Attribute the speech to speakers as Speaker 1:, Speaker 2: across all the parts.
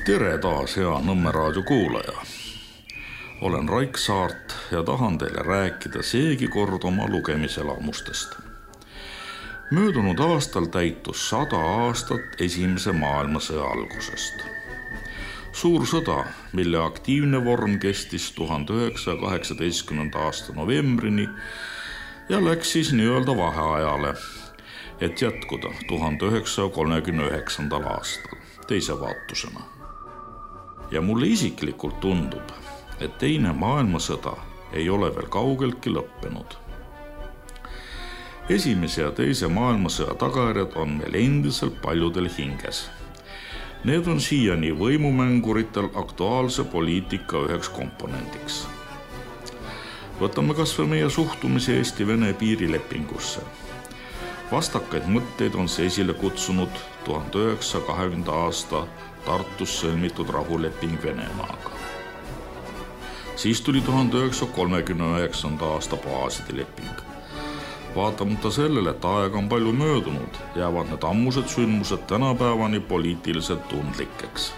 Speaker 1: Tere taas, hea Nõmme raadio kuulaja. Olen Raik Saart ja tahan teile rääkida seegi kord oma lugemiselamustest. Möödunud aastal täitus 100 aastat Esimese maailmasõja algusest. Suur sõda, mille aktiivne vorm kestis 1918. aasta novembrini ja läks siis nii-öelda vaheajale, et jätkuda 1939. aastal teise vaatusena. Ja mulle isiklikult tundub, et teine maailmasõda ei ole veel kaugeltki lõppenud. Esimese ja teise maailmasõja tagajärjed on meil endiselt paljudel hinges. Need on siiani võimumänguritel aktuaalse poliitika üheks komponendiks. Võtame kas või meie suhtumise Eesti-Vene piirilepingusse. Vastakaid mõtteid on see esile kutsunud 1920. aasta Tartus sõlmitud rahuleping Venemaaga. Siis tuli 1939. aasta baaside leping. Vaatamata sellele, et aega on palju möödunud, jäävad need ammused sündmused tänapäevani poliitiliselt tundlikeks.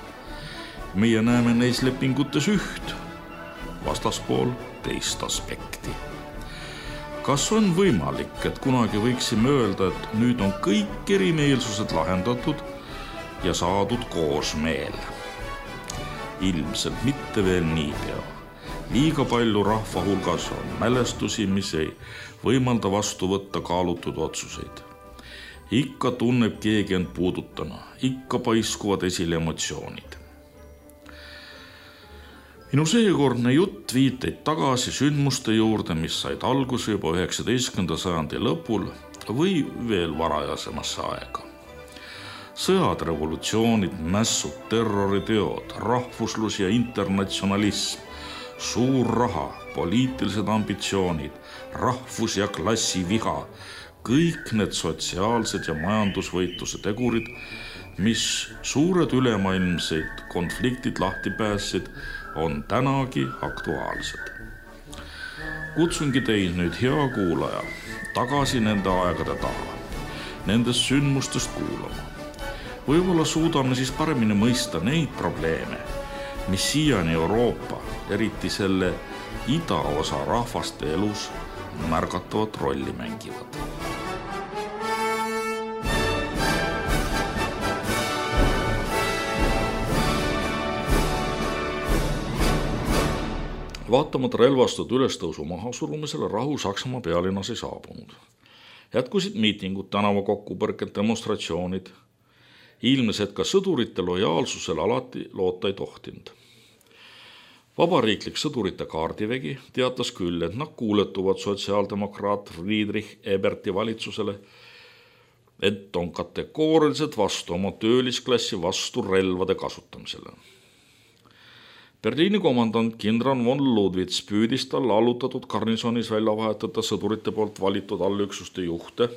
Speaker 1: Meie näeme neis lepingutes üht, vastaspool teist aspekti. Kas on võimalik, et kunagi võiksime öelda, et nüüd on kõik erimeelsused lahendatud ja saadud koosmeel? Ilmselt mitte veel niipea. Liiga palju rahva hulgas on mälestusi, mis ei võimalda vastu võtta kaalutud otsuseid. Ikka tunneb keegi end puudutana, ikka paiskuvad esile emotsioonid. Minu seekordne jutt viiteid tagasi sündmuste juurde, mis said alguse juba 19. sajandi lõpul või veel varajasemasse aega. Sõjad, revolutsioonid, mässud, terroriteod, rahvuslus ja internatsionalism, suur raha, poliitilised ambitsioonid, rahvus- ja klassiviha, kõik need sotsiaalsed ja majandusvõitluse tegurid, mis suured ülemaailmseid konfliktid lahti päässid, on tänagi aktuaalsed. Kutsungi teid nüüd, hea kuulaja, tagasi nende aegade taha, nendest sündmustest kuulama. Võib-olla suudame siis paremini mõista neid probleeme, mis siiani Euroopa, eriti selle idaosa rahvaste elus märgatavat rolli mängivad. Vaatamata relvastatud ülestõusu mahasurumisele rahu Saksamaa pealinnas ei saabunud. Jätkusid miitingud, tänavakokkupõrked, demonstratsioonid. Ilmnes, et ka sõdurite lojaalsusele alati loota ei tohtinud. Vabariiklik sõdurite kaardivägi teatas küll, et nad kuuletuvad sotsiaaldemokraat Friedrich Eberti valitsusele, et on kategooriliselt vastu oma töölisklassi vastu relvade kasutamisele. Berliini komandant kindral von Ludwitz püüdis talle allutatud garnisonis välja vahetada sõdurite poolt valitud allüksuste juhte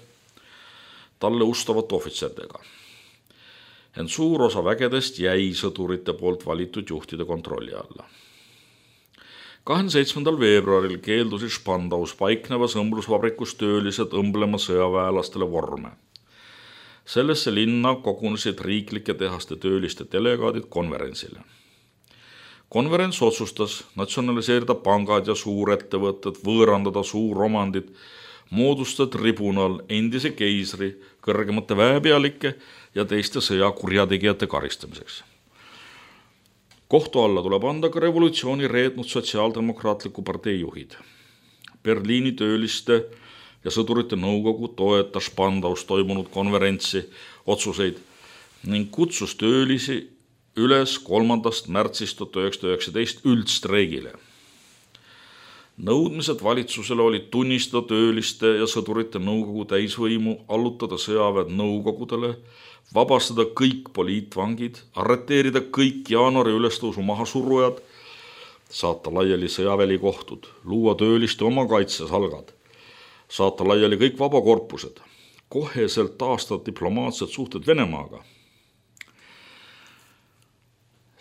Speaker 1: talle ustavate ohvitserdega. Ent suur osa vägedest jäi sõdurite poolt valitud juhtide kontrolli alla. 27. veebruaril keeldusid Spandaus paiknevas õmblusvabrikus töölised õmblema sõjaväelastele vorme. Sellesse linna kogunesid riiklike tehaste tööliste delegaadid konverentsile. Konverents otsustas natsionaliseerida pangad ja suurettevõtted, võõrandada suuromandid, moodustada tribunal endise keisri, kõrgemate väepealike ja teiste sõjakurjategijate karistamiseks. Kohtu alla tuleb anda ka revolutsiooni reetnud sotsiaaldemokraatliku partei juhid. Berliini tööliste ja sõdurite nõukogu toetas Spandaus toimunud konverentsi otsuseid ning kutsus töölisi üles 3. märtsist 1919 üldstreigile. Nõudmised valitsusele olid tunnistada tööliste ja sõdurite nõukogu täisvõimu, allutada sõjaväed nõukogudele, vabastada kõik poliitvangid, arreteerida kõik jaanuari ülestõusu mahasurujad, saata laiali sõjavälikohtud, luua tööliste oma kaitsesalgad, saata laiali kõik vabakorpused, koheselt taastada diplomaatsed suhted Venemaaga.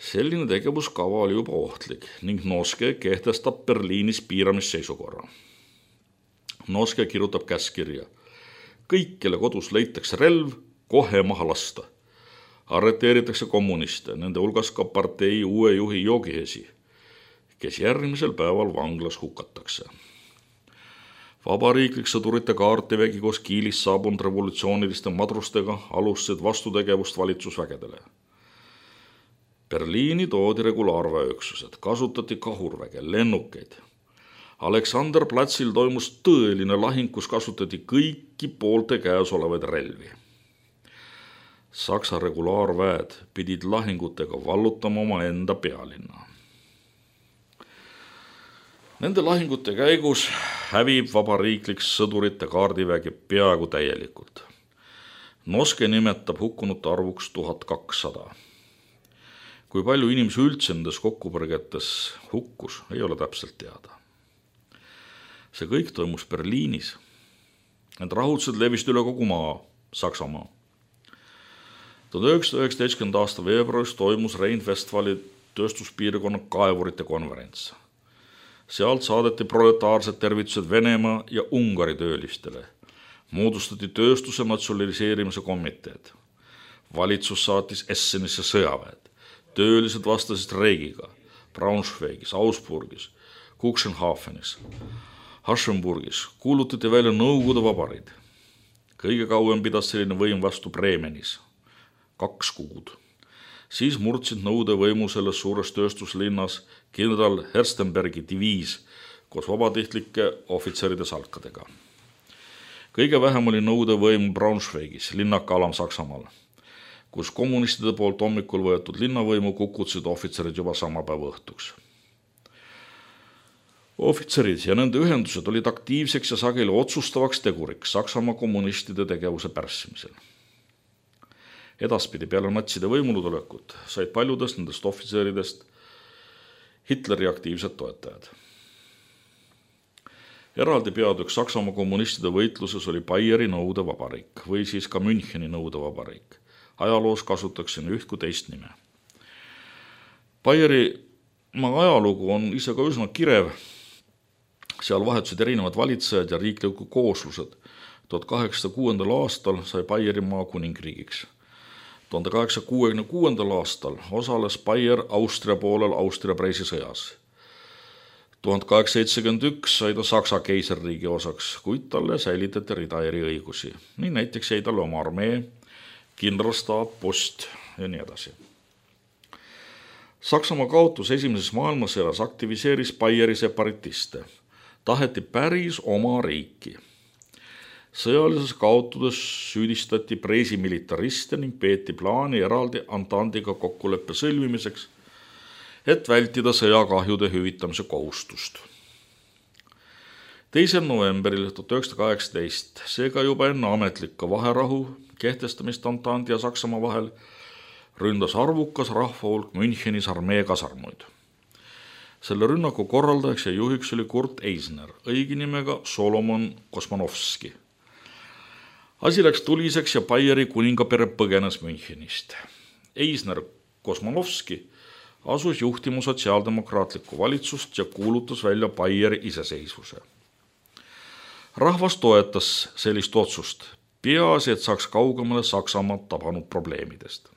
Speaker 1: Selline tegevuskava oli juba ohtlik ning Noske kehtestab Berliinis piiramisseisukorra. Noske kirjutab käskirja. Kõik, kelle kodus leitakse relv, kohe maha lasta. Arreteeritakse kommuniste, nende hulgas ka partei uue juhi Jogihesi, kes järgmisel päeval vanglas hukatakse. Vabariiklik sõdurite kaardivägi koos Kiilist saabunud revolutsiooniliste madrustega alustasid vastutegevust valitsusvägedele. Berliini toodi regulaarväeüksused, kasutati kahurväge, lennukeid. Aleksander platsil toimus tõeline lahing, kus kasutati kõiki poolte käes olevaid relvi. Saksa regulaarväed pidid lahingutega vallutama oma enda pealinna. Nende lahingute käigus hävib vabariiklik sõdurite kaardivägi peaaegu täielikult. Noske nimetab hukkunute arvuks 1200. Kui palju inimesi üldse nendes kokkupõrgetes hukkus, ei ole täpselt teada. See kõik toimus Berliinis. Need rahutused levisid üle kogu maa, Saksamaa. 1919. aasta veebruaris toimus Rhein-Westfali tööstuspiirkonna kaevurite konverents. Sealt saadeti proletaarsed tervitused Venemaa ja Ungari töölistele. Moodustati tööstuse natsionaliseerimise komiteed. Valitsus saatis Essenisse sõjaväed. Töölised vastasid reigiga Braunschweigis, Augsburgis, Cuxhavenis, Aschenburgis kuulutati välja Nõukogude Vabariik. Kõige kauem pidas selline võim vastu Bremenis, 2 kuud. Siis murdsid nõude võimu selles suures tööstuslinnas kindral Herstenbergi diviis koos vabatihtlike ohvitseride salkadega. Kõige vähem oli nõude võimu Braunschweigis, linnaka alam Saksamaal, kus kommunistide poolt hommikul võetud linnavõimu kukutasid ohvitserid juba sama päeva õhtuks. Ohvitserid ja nende ühendused olid aktiivseks ja sageli otsustavaks teguriks Saksamaa kommunistide tegevuse pärssimisel. Edaspidi peale natside võimulutulekut said paljudest nendest ohvitseridest Hitleri aktiivsed toetajad. Eraldi peatükk Saksamaa kommunistide võitluses oli Bayeri Nõukogude Vabariik või siis ka Müncheni Nõukogude Vabariik. Ajaloos kasutatakse üht kui teist nime. Baierimaa ajalugu on ise ka üsna kirev. Seal vahetusid erinevad valitsejad ja riiklikud kooslused. 1806. aastal sai Baierimaa kuningriigiks. 1866. aastal osales Baier Austria poolel Austria-Preisi sõjas. 1871 sai ta Saksa keisririigi osaks, kuid talle säilitati rida eriõigusi. Nii näiteks jäi talle oma armee, kindralstaap, post ja nii edasi. Saksamaa kaotus esimeses maailmasõjas aktiviseeris Baieri separatiste. Taheti päris oma riiki. Sõjalises kaotudes süüdistati Preisi militariste ning peeti plaani eraldi Antandiga kokkuleppe sõlmimiseks, et vältida sõjakahjude hüvitamise kohustust. 2. novembril 1918, seega juba enne ametlikku vaherahu kehtestamist Antandi ja Saksamaa vahel, ründas arvukas rahvahulk Münchenis armee kasarmuid. Selle rünnaku korraldajaks ja juhiks oli Kurt Eisner, õige nimega Solomon Kosmanovski. Asi läks tuliseks ja Baieri kuningapere põgenes Münchenist. Eisner Kosmanovski asus juhtima sotsiaaldemokraatlikku valitsust ja kuulutas välja Baieri iseseisvuse. Rahvas toetas sellist otsust, peaasi, et saaks kaugemale Saksamaad tabanud probleemidest.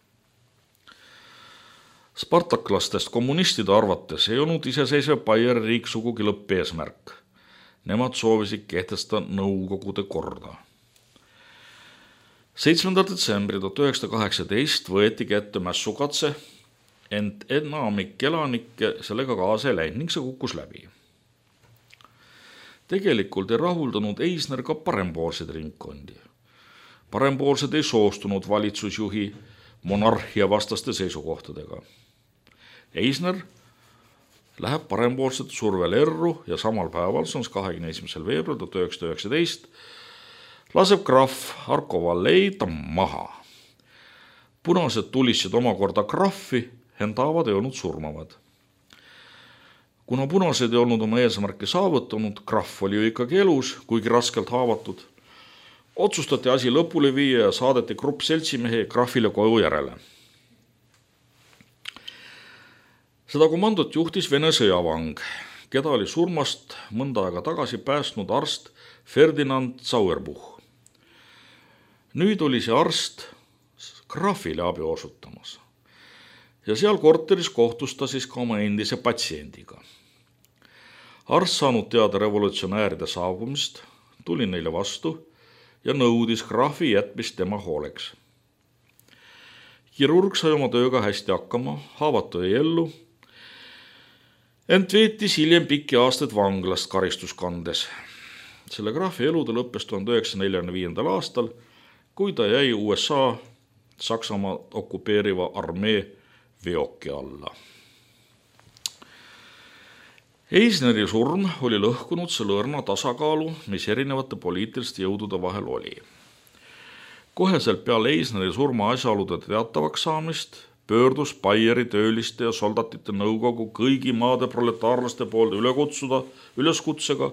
Speaker 1: Spartaklastest kommunistide arvates ei olnud iseseisev Baieri riik sugugi lõppeesmärk. Nemad soovisid kehtestada Nõukogude korda. 7. detsembri 1918 võeti kätte mässukatse, ent enamik elanikke sellega kaasa ei läinud ning see kukkus läbi. Tegelikult ei rahuldanud Eisner ka parempoolseid ringkondi. Parempoolsed ei soostunud valitsusjuhi monarhia vastaste seisukohtadega. Eisner läheb parempoolsete survel erru ja samal päeval, see on 21. veebruar 1919, laseb krahv Harko Vallei ta maha. Punased tulisid omakorda krahvi, ent haavad ei olnud surmavad. Kuna punased ei olnud oma eesmärki saavutanud, krahv oli ju ikkagi elus, kuigi raskelt haavatud, otsustati asi lõpule viia ja saadeti grupp seltsimehi krahvile koju järele. Seda komandot juhtis Vene sõjavang, keda oli surmast mõnda aega tagasi päästnud arst Ferdinand Sauerbuch. Nüüd oli see arst graafile abi osutamas. Ja seal korteris kohtus ta siis ka oma endise patsiendiga. Arst saanud teada revolutsionääride saabumist, tuli neile vastu ja nõudis graafi jätmist tema hooleks. Kirurg sai oma tööga hästi hakkama, haavatu jäi ellu, ent veetis hiljem pikki aastaid vanglast karistuskandes. Selle graafi elu ta lõppes 1945. aastal, kui ta jäi USA Saksamaa okupeeriva armee veoki alla. Eisneri surm oli lõhkunud selle õrna tasakaalu, mis erinevate poliitiliste jõudude vahel oli. Koheselt peale Eisneri surma asjaolude teatavaks saamist pöördus Baieri tööliste ja soldatite nõukogu kõigi maade proletaarlaste poolt üleskutsega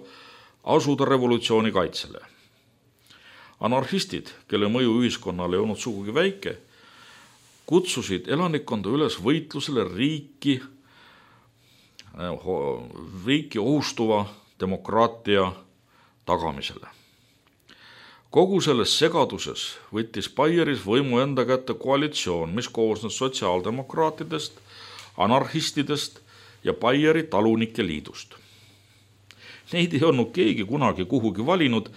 Speaker 1: asuda revolutsiooni kaitsele. Anarhistid, kelle mõju ühiskonnale ei olnud sugugi väike, kutsusid elanikkonda üles võitlusele riiki ohustuva demokraatia tagamisele. Kogu selles segaduses võttis Baieris võimu enda kätte koalitsioon, mis koosnes sotsiaaldemokraatidest, anarhistidest ja Baieri talunike liidust. Neid ei olnud keegi kunagi kuhugi valinud,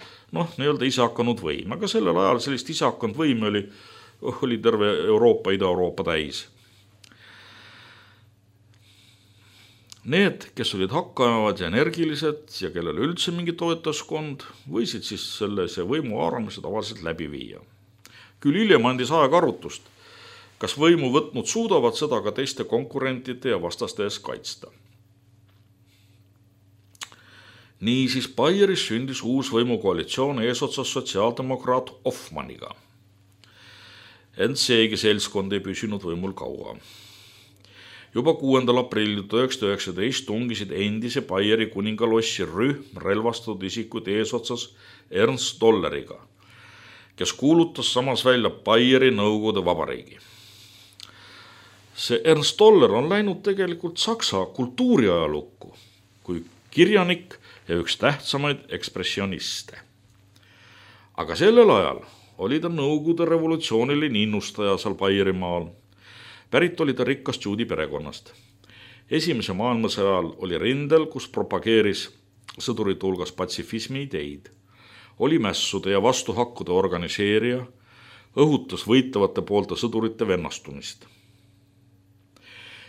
Speaker 1: ise hakanud võim, aga sellel ajal sellist ise hakanud võime oli terve Euroopa, Ida-Euroopa täis. Need, kes olid hakkavad ja energilised ja kellel üldse mingi toetaskond, võisid siis sellise võimu haaramise tavaliselt läbi viia. Küll hiljem andis aeg arutust, kas võimu võtnud suudavad seda ka teiste konkurentide ja vastaste ees kaitsta. Niisiis Baieris sündis uus võimukoalitsioon eesotsas sotsiaaldemokraat Hoffmanniga. Ent seegi seltskond ei püsinud võimul kaua. Juba 6. aprillil 1919 tungisid endise Baieri kuningalossi rühm relvastatud isikud eesotsas Ernst Tolleriga, kes kuulutas samas välja Baieri Nõukogude Vabariigi. See Ernst Toller on läinud tegelikult Saksa kultuuriajalukku kui kirjanik ja üks tähtsamaid ekspressioniste. Aga sellel ajal oli ta Nõukogude revolutsiooniline innustaja seal Baierimaal. Pärit oli ta rikkast juudi perekonnast. Esimese maailmasõja ajal oli rindel, kus propageeris sõdurite hulgas patsifismi ideid. Oli mässude ja vastuhakkude organiseerija, õhutas võitlevate poolte sõdurite vennastumist.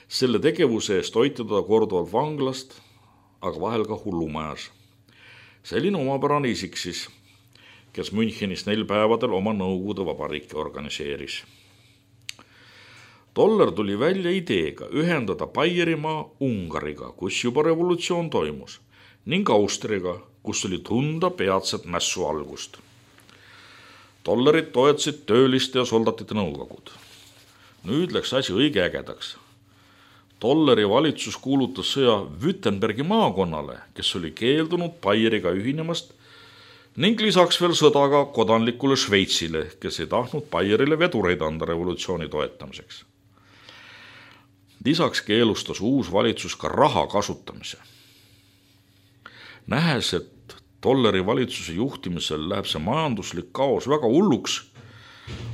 Speaker 1: Selle tegevuse eest hoiti ta korduvalt vanglast, aga vahel ka hullumajas. Selline omapärane isik siis, kes Münchenis 4 päevadel oma Nõukogude Vabariiki organiseeris. Toller tuli välja ideega ühendada Baierimaa Ungariga, kus juba revolutsioon toimus, ning Austriaga, kus oli tunda peatset mässu algust. Tollerit toetasid tööliste ja soldatite nõukogud. Nüüd läks asi õige ägedaks. Tolleri valitsus kuulutas sõja Württembergi maakonnale, kes oli keeldunud Baieriga ühinemast, ning lisaks veel sõda ka kodanlikule Šveitsile, kes ei tahtnud Baierile vedureid anda revolutsiooni toetamiseks. Lisaks keelustas uus valitsus ka raha kasutamise. Nähes, et Tolleri valitsuse juhtimisel läheb see majanduslik kaos väga hulluks,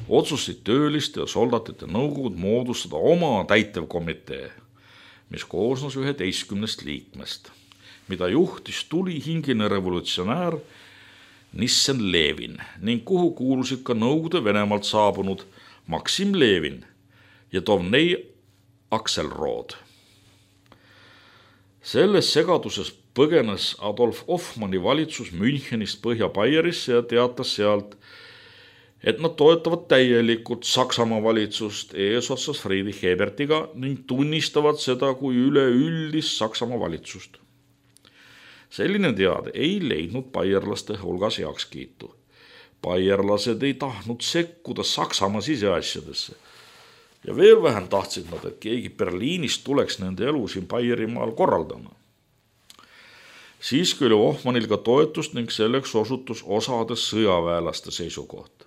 Speaker 1: otsustasid tööliste ja soldatite nõukogud moodustada oma täitevkomitee, mis koosnes 11 liikmest, mida juhtis tulihingine revolutsionäär Nissen Levin ning kuhu kuulusid ka Nõukogude Venemaalt saabunud Maksim Levin ja Dovnei Akselrod. Selles segaduses põgenes Adolf Hoffmanni valitsus Münchenist Põhja-Baierisse ja teatas sealt, et nad toetavad täielikult Saksamaa valitsust eesotsas Friedrich Ebertiga ning tunnistavad seda kui üleüldist Saksamaa valitsust. Selline teade ei leidnud baierlaste hulgas heakskiitu. Baierlased ei tahtnud sekkuda Saksamaa siseasjadesse. Ja veel vähem tahtsid nad, et keegi Berliinist tuleks nende elu siin Baierimaal korraldama. Siiski oli Hoffmannil ka toetust ning selleks osutus osades sõjaväelaste seisukoht.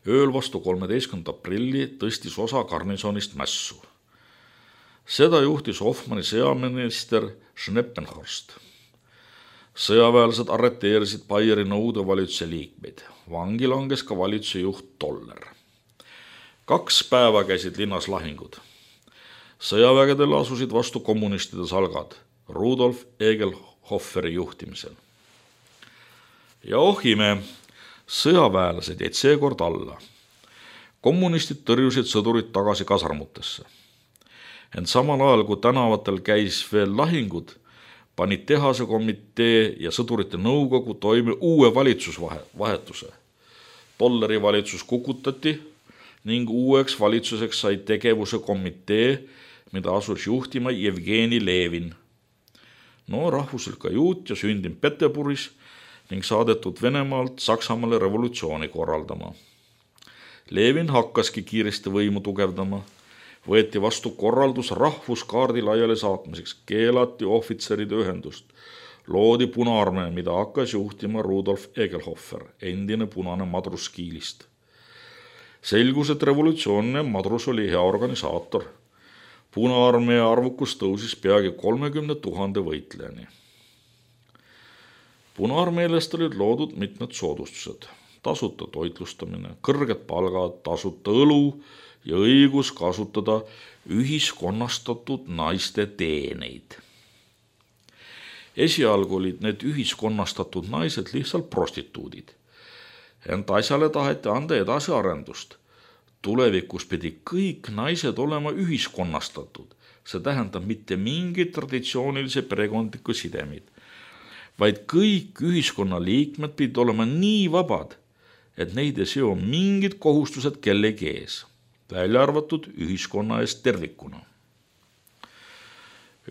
Speaker 1: Ööl vastu 13. aprilli tõstis osa garnisonist mässu. Seda juhtis Hoffmanni sõjaminister Schneppenhorst. Sõjaväelased arreteerisid Baieri nõudevalitsuse liikmeid. Vangi langes ka valitsuse juht Toller. 2 päeva käisid linnas lahingud. Sõjavägedel asusid vastu kommunistide salgad Rudolf Egelhofferi juhtimisel. Ja ohime, sõjaväelased jäid seekord alla. Kommunistid tõrjusid sõdurid tagasi kasarmutesse. Ent samal ajal, kui tänavatel käis veel lahingud, panid tehase komitee ja sõdurite nõukogu toime uue valitsusvahetuse. Tolleri valitsus kukutati ning uueks valitsuseks sai tegevuse komitee, mida asus juhtima Jevgeni Levin. Rahvuselt ka juut ja sündinud Peterburis ning saadetud Venemaalt Saksamaale revolutsiooni korraldama. Levin hakkaski kiiresti võimu tugevdama. Võeti vastu korraldus rahvuskaardi laiali saatmiseks, keelati ohvitseride ühendust, loodi Punaarmee, mida hakkas juhtima Rudolf Egelhofer, endine punane madrus Kiilist. Selgus, et revolutsioonne madrus oli hea organisaator. Punaarmee arvukus tõusis peagi 30 000 võitlejani. Punaarmeelest olid loodud mitmed soodustused, tasuta toitlustamine, kõrged palgad, tasuta õlu ja õigus kasutada ühiskonnastatud naiste teeneid. Esialgu olid need ühiskonnastatud naised lihtsalt prostituudid. Ent asjale taheti anda edasiarendust. Tulevikus pidi kõik naised olema ühiskonnastatud. See tähendab mitte mingid traditsioonilise perekondliku sidemid, vaid kõik ühiskonnaliikmed pidid olema nii vabad, et neid ei seo mingid kohustused kellegi ees, välja arvatud ühiskonna eest tervikuna.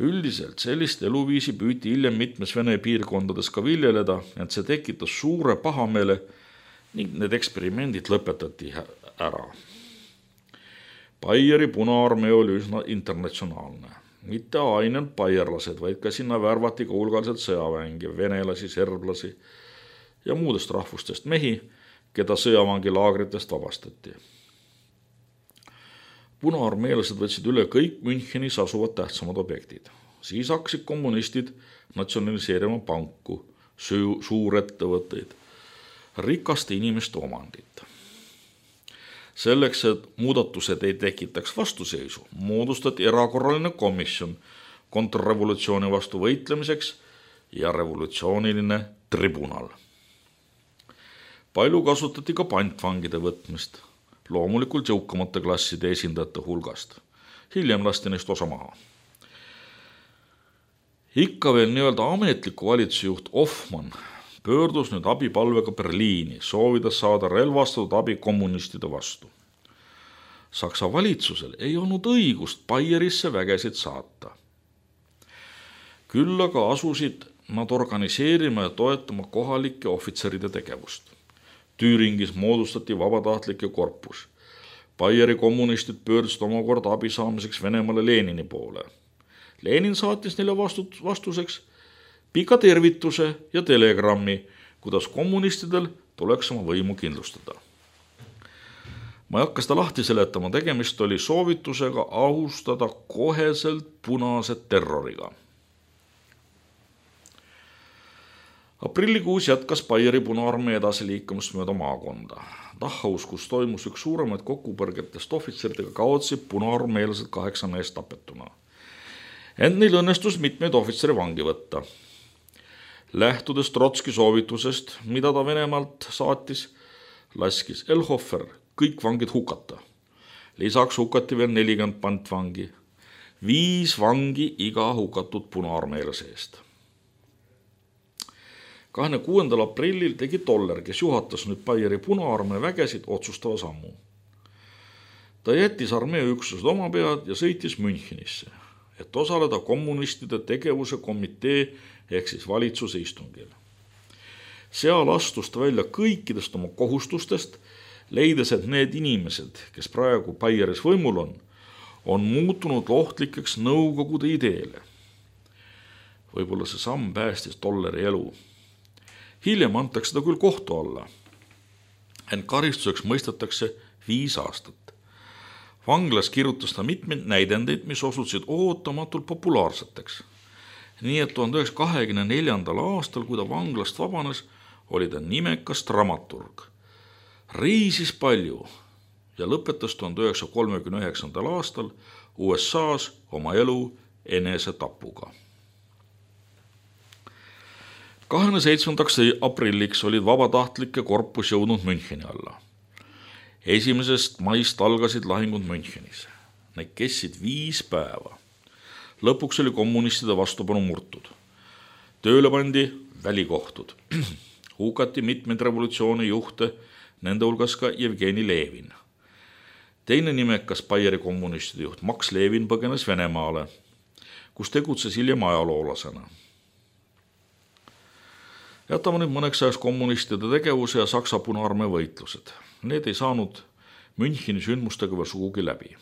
Speaker 1: Üldiselt sellist eluviisi püüti hiljem mitmes Vene piirkondades ka viljeleda, ent see tekitas suure pahameele ning need eksperimendid lõpetati ära. Baieri Punaarmee oli üsna internatsionaalne. Mitte ainult baierlased, vaid ka sinna värvati ka hulgaliselt sõjaväengi, venelasi, serblasi ja muudest rahvustest mehi, keda sõjavangilaagritest vabastati. Punaarmeelased võtsid üle kõik Münchenis asuvad tähtsamad objektid. Siis hakkasid kommunistid natsionaliseerima panku, suurettevõtteid, rikaste inimeste omandit. Selleks, et muudatused ei tekitaks vastuseisu, moodustati erakorraline komisjon kontrrevolutsiooni vastu võitlemiseks ja revolutsiooniline tribunal. Palju kasutati ka pantvangide võtmist, loomulikult jõukamate klasside esindajate hulgast. Hiljem lasti neist osa maha. Ikka veel nii-öelda ametliku valitsusjuht Hoffmann pöördus nüüd abipalvega Berliini, soovides saada relvastatud abi kommunistide vastu. Saksa valitsusel ei olnud õigust Baierisse vägesid saata. Küll aga asusid nad organiseerima ja toetama kohalike ohvitseride tegevust. Tüüringis moodustati vabatahtlike korpus. Baieri kommunistid pöördusid omakorda abi saamiseks Venemaale Lenini poole. Lenin saatis neile vastuseks pika tervituse ja telegrammi, kuidas kommunistidel tuleks oma võimu kindlustada. Ma ei hakka seda lahti seletama, tegemist oli soovitusega ahustada koheselt punased terroriga. Aprillikuus jätkas Baieri Punaarmee edasi liikumist mööda maakonda. Dachhaus, kus toimus üks suuremaid kokkupõrgetest ohvitseridega, kaotsid punaarmeelased 8 meest tapetuna. Ent neil õnnestus mitmeid ohvitseri vangi võtta. Lähtudes Trotski soovitusest, mida ta Venemaalt saatis, laskis Egelhofer kõik vangid hukata. Lisaks hukati veel 40 pantvangi, 5 vangi iga hukatud punaarmeelase eest. 26. aprillil tegi Toller, kes juhatas nüüd Baieri Punaarmee vägesid, otsustava sammu. Ta jättis armee üksused oma pead ja sõitis Münchenisse, et osaleda kommunistide tegevuse komitee ehk siis valitsuse istungil. Seal astus ta välja kõikidest oma kohustustest, leides, et need inimesed, kes praegu Baieris võimul on muutunud ohtlikeks nõukogude ideele. Võib-olla see samm päästis Tolleri elu. Hiljem antakse ta küll kohtu alla, ent karistuseks mõistetakse 5 aastat. Vanglas kirjutas ta mitmeid näidendeid, mis osutusid ootamatult populaarseteks. Nii et 1924. aastal, kui ta vanglast vabanes, oli ta nimekas dramaturg. Reisis palju ja lõpetas 1939. aastal USA-s oma elu enesetapuga. 27. aprilliks olid vabatahtlike korpus jõudnud Müncheni alla. 1. maist algasid lahingud Münchenis. Need kestsid 5 päeva. Lõpuks oli kommunistide vastupanu murtud. Tööle pandi välikohtud. Hukati mitmeid revolutsiooni juhte, nende hulgas ka Jevgeni Levin. Teine nimekas Baieri kommunistide juht Max Levin põgenes Venemaale, kus tegutses hiljem ajaloolasena. Jätame nüüd mõneks ajaks kommunistide tegevuse ja Saksa Punaarmee võitlused. Need ei saanud Müncheni sündmustega veel sugugi läbi.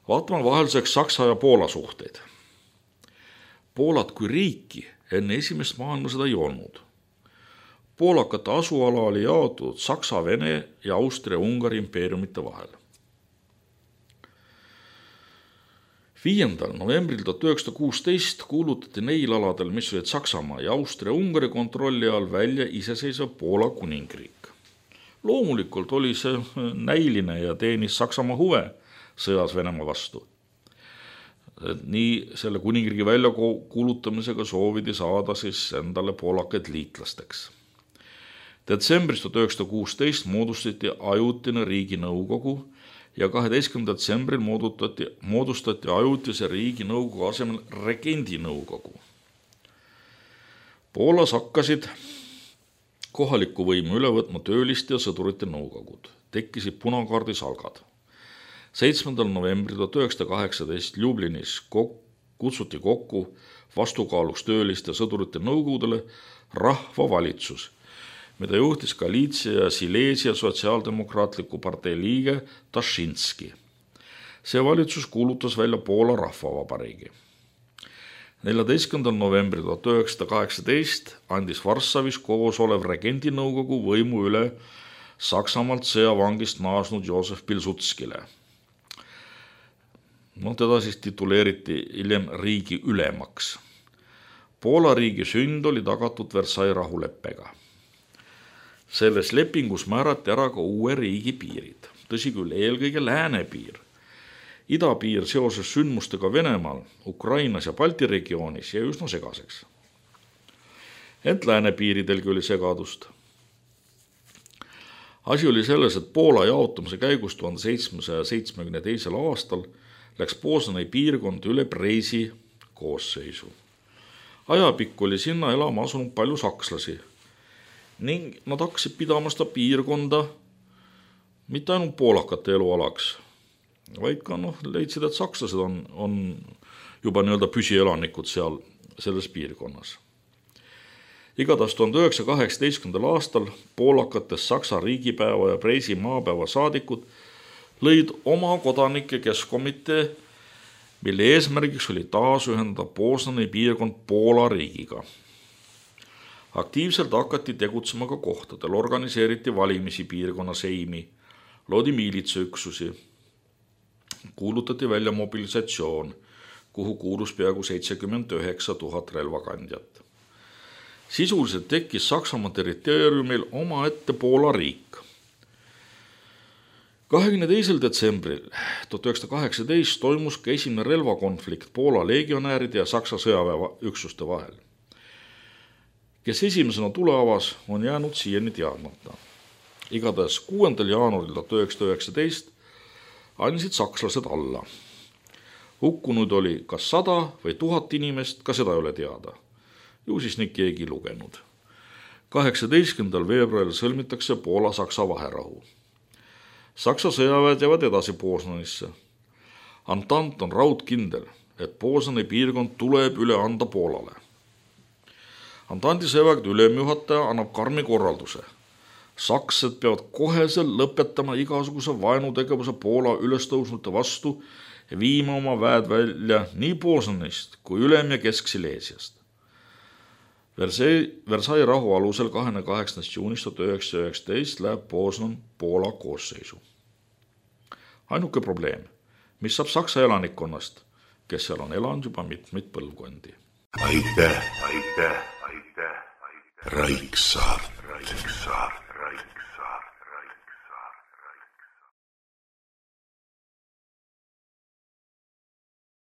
Speaker 1: Vaatame vahelduseks Saksa ja Poola suhteid. Poolat kui riiki enne esimest maailmasõda ei olnud. Poolakate asuala oli jaotud Saksa, Vene ja Austria-Ungari impeeriumite vahel. 5. novembril 1916 kuulutati neil aladel, mis olid Saksamaa ja Austria-Ungari kontrolli all, välja iseseisev Poola kuningriik. Loomulikult oli see näiline ja teenis Saksamaa huve sõjas Venemaa vastu. Nii selle kuningriigi välja kuulutamisega soovidi saada siis endale poolakaid liitlasteks. Detsembris 1916 moodustati ajutine riiginõukogu ja 12. detsembril moodustati ajutise riiginõukogu asemel regendinõukogu. Poolas hakkasid kohalikku võimu üle võtma tööliste ja sõdurite nõukogud. Tekkisid punakaardi salgad. 7. novembril 1918 Ljubljanis kutsuti kokku vastukaaluks tööliste ja sõdurite nõukogudele rahvavalitsus, mida juhtis Galiitsia ja Silesia sotsiaaldemokraatliku partei liige Tašinski. See valitsus kuulutas välja Poola rahvavabariigi. 14. novembril 1918 andis Varssavis koos olev regendinõukogu võimu üle Saksamaalt sõjavangist naasnud Joosef Pilsudskile. Teda siis tituleeriti hiljem riigi ülemaks. Poola riigi sünd oli tagatud Versailles rahuleppega. Selles lepingus määrati ära ka uue riigi piirid. Tõsi küll, eelkõige läänepiir. Idapiir seoses sündmustega Venemaal, Ukrainas ja Balti regioonis jäi üsna segaseks. Ent läänepiiridelgi oli segadust. Asi oli selles, et Poola jaotumise käigus 1772. aastal läks Poznani piirkond üle Preisi koosseisu. Ajapikku oli sinna elama asunud palju sakslasi ning nad hakkasid pidama seda piirkonda mitte ainult poolakate elualaks, vaid ka leidsid, et sakslased on juba püsielanikud seal selles piirkonnas. Igatahes 1918. aastal poolakates Saksa riigipäeva ja Preisi maapäeva saadikud lõid oma kodanike keskkomitee, mille eesmärgiks oli taas ühendada Poznani piirkond Poola riigiga. Aktiivselt hakati tegutsema ka kohtadel, organiseeriti valimisi piirkonna seimi, loodi miilitsaüksusi, kuulutati välja mobilisatsioon, kuhu kuulus peaaegu 79 000 relvakandjat. Sisuliselt tekkis Saksamaa territooriumil omaette Poola riik. 22. detsembril 1918 toimus ka esimene relvakonflikt Poola legionääride ja Saksa sõjaväeüksuste vahel. Kes esimesena tule avas, on jäänud siiani teadmata. Igatahes 6. jaanuaril 1919 andsid sakslased alla. Hukkunud oli kas 100 või 1000 inimest, ka seda ei ole teada. Ju siis neid keegi lugenud. 18. veebruaril sõlmitakse Poola-Saksa vaherahu. Saksa sõjaväed jäävad edasi Poznanisse. Antant on raudkindel, et Poznani piirkond tuleb üle anda Poolale. Antanti sõjavägede ülemjuhataja annab karmi korralduse. Sakslased peavad koheselt lõpetama igasuguse vaenutegevuse Poola ülestõusnute vastu ja viima oma väed välja nii Poznanist kui Ülem- ja Kesk-Sileesiast. Versailles rahu alusel 28. juunist 1919 läheb Poznan Poola koosseisu. Ainuke probleem, mis saab Saksa elanikkonnast, kes seal on elanud juba mitmeid põlvkondi.
Speaker 2: aitäh, Raiksaart.